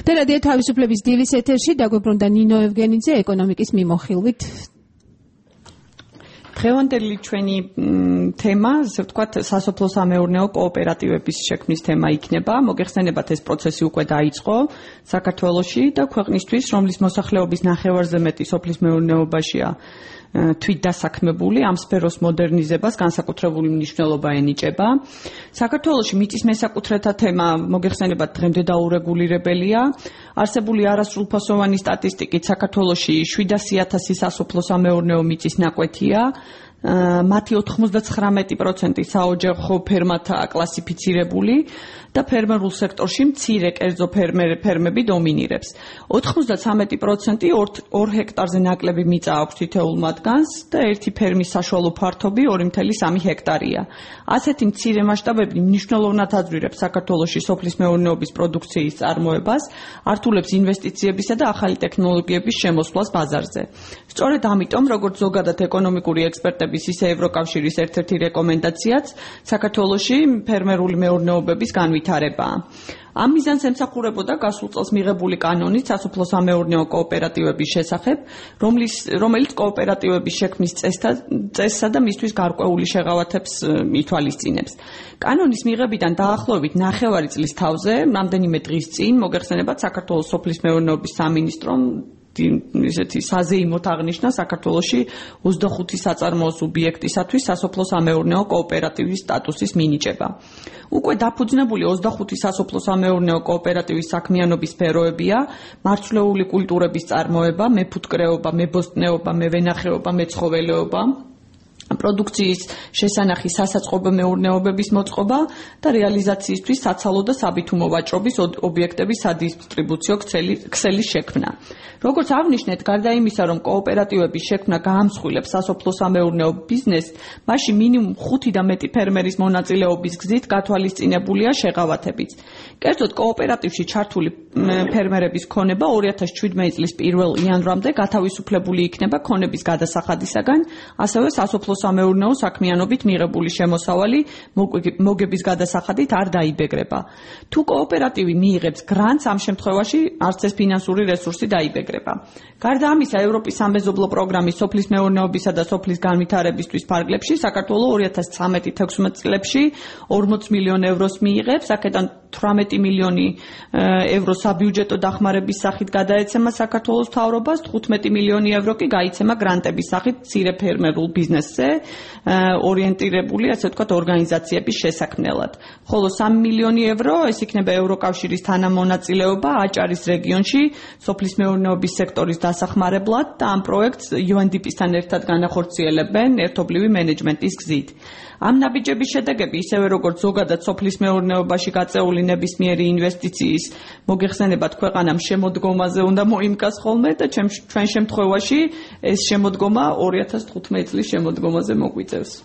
და რადიო თავისუფლების დილის ეთერში დაგვიბრუნდა ნინო ევგენიძე ეკონომიკის მიმოხილვით. დღევანდელი ჩვენი თემა, ასე ვთქვათ, სასოფლო-სამეურნეო კოოპერატივების შექმნის თემა იქნება. მოგეხსენებათ, ეს პროცესი უკვე დაიწყო საქართველოში და ქვეყნისთვის, რომლის მოსახლეობის ნახევარზე მეტი სოფლის მეურნეობაშია თვით დასაქმებული, ამ სფეროს მოდერნიზებას განსაკუთრებული მნიშვნელობა ენიჭება. საქართველოში მიწის მესაკუთრეთა თემა, მოგეხსენებათ, დღემდე დაურეგულირებელია. არსებული არასრულფასოვანი სტატისტიკით საქართველოში 700,000 სასოფლო-სამეურნეო მიწის ნაკვეთია. მათი 99% საოჯახო ფერმათაა კლასიფიცირებული და ფერმერულ სექტორში მცირე კერძო ფერმები დომინირებს. 93% 2 ჰექტარზე ნაკლები მიწა აქვს თითოეულ მათგანს და ერთი ფერმის საშუალო ფართობი 2,3 ჰექტარია. ასეთი მცირე მასშტაბები მნიშვნელოვნად აძვირებს საქართველოში სოფლის მეურნეობის პროდუქციის წარმოებას, ართულებს ინვესტიციებისა და ახალი ტექნოლოგიების შემოსვლას ბაზარზე. სწორედ ამიტომ, როგორც ზოგადად ეკონომიკური ექსპერტების, ისე ევროკავშირის ერთ-ერთი რეკომენდაციაც საქართველოში ფერმერული მეურნეობების განვითარებაა. ამ მიზანს ემსახურებოდა გასულ წელს მიღებული კანონით სასოფლო-სამეურნეო კოოპერატივების შესახებ, რომელიც კოოპერატივების შექმნის წესსა და მისთვის გარკვეული შეღავათებს ითვალისწინებს. კანონის მიღებიდან დაახლოებით ნახევარი წლის თავზე, რამდენიმე დღის წინ, მოგეხსენებათ, საქართველოს სოფლის მეურნეობის სამინისტრომ ისეთი საზეიმოდ აღნიშნა საქართველოში 25 საწარმოო სუბიექტისათვის სასოფლო-სამეურნეო კოოპერატივის სტატუსის მინიჭება. უკვე დაფუძნებული 25 სასოფლო-სამეურნეო კოოპერატივის საქმიანობის სფეროებია: მარცვლეული კულტურების წარმოება, მეფუტკრეობა, მებოსტნეობა, მევენახეობა, მეცხოველეობა, პროდუქციის შესანახი სასაწყობო მეურნეობების მოწყობა და რეალიზაციისთვის საცალო და საბითუმო ვაჭრობის ობიექტების სადისტრიბუციო ქსელის შექმნა. როგორც აღნიშნეთ, გარდა იმისა, რომ კოოპერატივების შექმნა გაამსხვილებს სასოფლო-სამეურნეო ბიზნესს, მასში მინიმუმ 5 და მეტი ფერმერის მონაწილეობის გზით გათვალისწინებულია შეღავათებიც. კერძოდ, კოოპერატივში ჩართული ფერმერების ქონება 2017 წლის 1 იანვრამდე გათავისუფლებული იქნება ქონების გადასახადისაგან, ასევე სასოფლო-სამეურნეო საქმიანობით მიღებული შემოსავალი მოგების გადასახადით არ დაიბეგრება. თუ კოოპერატივი მიიღებს გრანტს, ამ შემთხვევაში არც ეს ფინანსური რესურსი დაიბეგრება. გარდა ამისა, ევროპის სამეზობლო პროგრამის სოფლის მეურნეობისა და სოფლის განვითარებისთვის ფარგლებში საქართველო 2013-16 წლებში 40 მილიონ ევროს მიიღებს, აქედან 18 მილიონი ევრო საბიუჯეტო დახმარების სახით გადაეცემა საქართველოს მთავრობას, 15 მილიონი ევრო კი გაიცემა გრანტების სახით მცირე ფერმერულ ბიზნესზე ორიენტირებული, ასე ვთქვათ, ორგანიზაციების შესაქმნელად. ხოლო 3 მილიონი ევრო ეს იქნება ევროკავშირის თანამონაწილეობა აჭარის რეგიონში სოფლის მეურნეობის სექტორის დასახმარებლად და ამ პროექტს UNDP-სთან ერთად განახორციელებენ ერთობლივი მენეჯმენტის გზით. ამ ნაბიჯების შედეგები, ისევე როგორც ზოგადად სოფლის მეურნეობაში გაწეული ნებისმიერი ინვესტიციის, მოგეხსენებათ, ქვეყანამ შემოდგომაზე უნდა მოიმკას ხოლმე და ჩვენ შემთხვევაში ეს შემოდგომა 2015 წლის შემოდგომაზე მოგვიწევს.